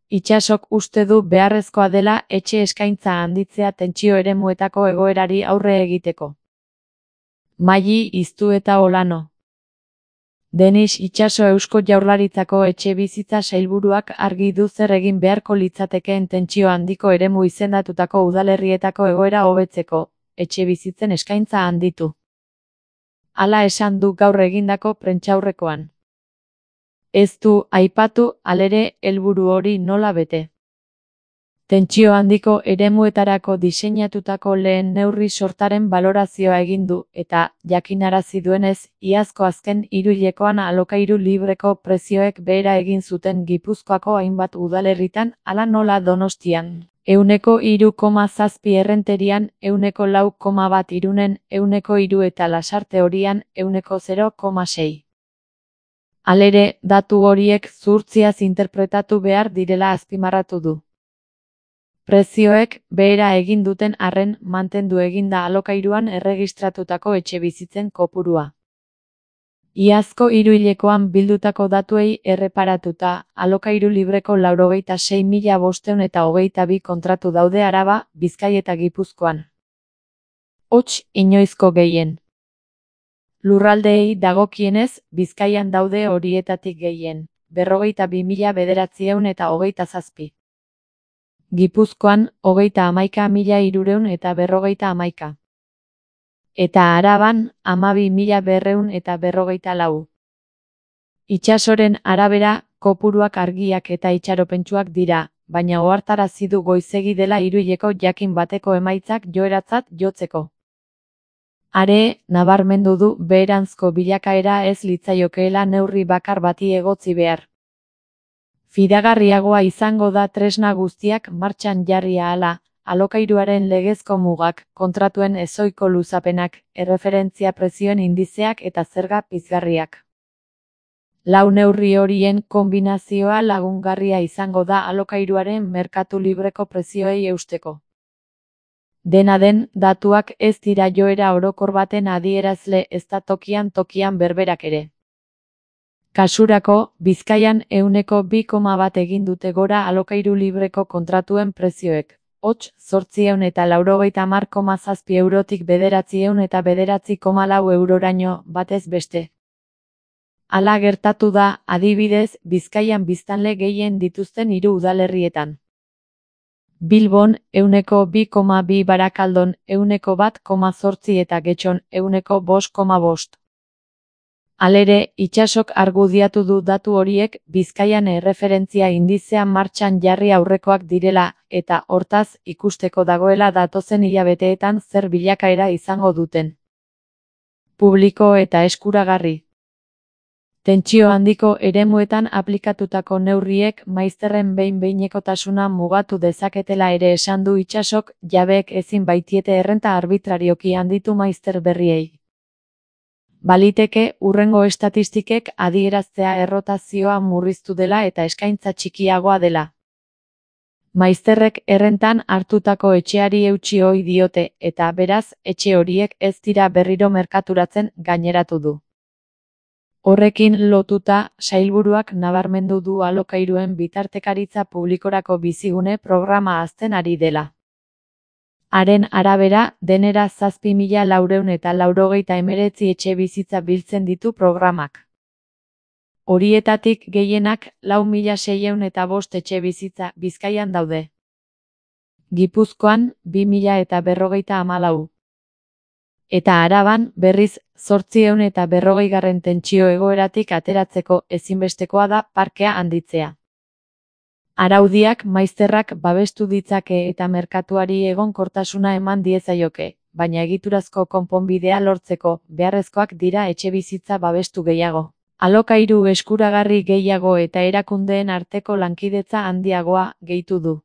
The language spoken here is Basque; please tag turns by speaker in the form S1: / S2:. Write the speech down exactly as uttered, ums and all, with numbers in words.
S1: Itsasok uste du beharrezkoa dela etxe eskaintza handitzea tentsio eremuetako egoerari aurre egiteko. Maili Iztu eta Olano. Denis Itxaso Eusko Jaurlaritzako Etxebizitza Sailburuak argi du zer egin beharko litzatekeen tentsio handiko eremu izendatutako udalerrietako egoera hobetzeko, etxebizitzen eskaintza handitu. Hala esan du gaur egindako prentsaurrekoan. Ez du aipatu, halere, helburu hori nola bete. Tentsio handiko eremuetarako diseinatutako lehen neurri sortaren balorazioa egin du eta, jakinarazi duenez, iazko azken hiruhilekoan alokairu libreko prezioek behera egin zuten Gipuzkoako hainbat udalerritan, hala nola Donostian, ehuneko hiru koma zazpi Errenterian, ehuneko lau koma bat Irunen, ehuneko hiru eta Lasarte Horian, ehuneko zero koma sei. Halere, datu horiek zuhurtziaz interpretatu behar direla azpimarratu du. Prezioek behera egin duten arren mantendu eginda alokairuan erregistratutako etxebizitzen kopurua. Iazko hiruhilekoan bildutako datuei erreparatuta, alokairu libreko laurogeita sei mila bostehun eta hogeita bi kontratu daude Araba, Bizkai eta Gipuzkoan. Hots, inoizko gehien. Lurraldeei dagokienez, Bizkaian daude horietatik gehien, berrogeita bi mila bederatziehun eta hogeita zazpi. Gipuzkoan, hogeita hamaika mila hirurehun eta berrogeita hamaika. Eta Araban, hamabi mila berrehun eta berrogeita lau. Itxasoren arabera, kopuruak argiak eta itxaropentsuak dira, baina ohartarazi du goizegi dela hiruhileko jakin bateko emaitzak joeratzat jotzeko. Are, nabarmendu du beheranzko bilakaera ez litzaiokeela neurri bakar bati egotzi behar. Fidagarriagoa izango da tresna guztiak martxan jarri ahala, alokairuaren legezko mugak, kontratuen ezohiko luzapenak, erreferentzia prezioen indizeak eta zerga pizgarriak. Lau neurri horien konbinazioa lagungarria izango da alokairuaren merkatu libreko prezioei eusteko. Dena den, datuak ez dira joera orokor baten adierazle ezta tokian tokian berberak ere. Kasurako, Bizkaian ehuneko bi koma bat egin dute gora alokairu libreko kontratuen prezioek. Hots, zortziehun eta laurogeita hamar koma zazpi eurotik bederatziehun eta bederatzi koma lau euroraino batez beste. Hala gertatu da, adibidez, Bizkaian biztanle gehien dituzten hiru udalerrietan. Bilbon, ehuneko bi koma bi Barakaldon, ehuneko bat koma zortzi eta Getxon, ehuneko bost koma bost. Halere, Itsasok argudiatu du datu horiek Bizkaian erreferentzia indizea martxan jarri aurrekoak direla, eta, hortaz, ikusteko dagoela datozen hilabeteetan zer bilakaera izango duten. Publiko eta eskuragarri. Tentsio handiko eremuetan aplikatutako neurriek maizterren behin-behinekotasuna mugatu dezaketela ere esan du Itsasok, jabeek ezin baitiete errenta arbitrarioki handitu maizter berriei. Baliteke, hurrengo estatistikek adieraztea errotazioa murriztu dela eta eskaintza txikiagoa dela. Maizterrek errentan hartutako etxeari eutsi ohi diote, eta beraz, etxe horiek ez dira berriro merkaturatzen gaineratu du. Horrekin lotuta, sailburuak nabarmendu du alokairuen bitartekaritza publikorako bizigune programa hazten ari dela. Haren arabera, denera zazpi mila laurehun eta laurogeita hemeretzi etxe bizitza biltzen ditu programak. Horietatik gehienak lau mila seiehun eta bost etxe bizitza Bizkaian daude. Gipuzkoan, bi mila eta berrogeita hamalau. Eta Araban, berriz, zortziehun eta berrogeigarren tentsio egoeratik ateratzeko ezinbestekoa da parkea handitzea. Araudiak maizterrak babestu ditzake eta merkatuari egonkortasuna eman diezaioke, baina egiturazko konponbidea lortzeko beharrezkoak dira etxebizitza babestu gehiago. Alokairu eskuragarri gehiago eta erakundeen arteko lankidetza handiagoa, gehitu du.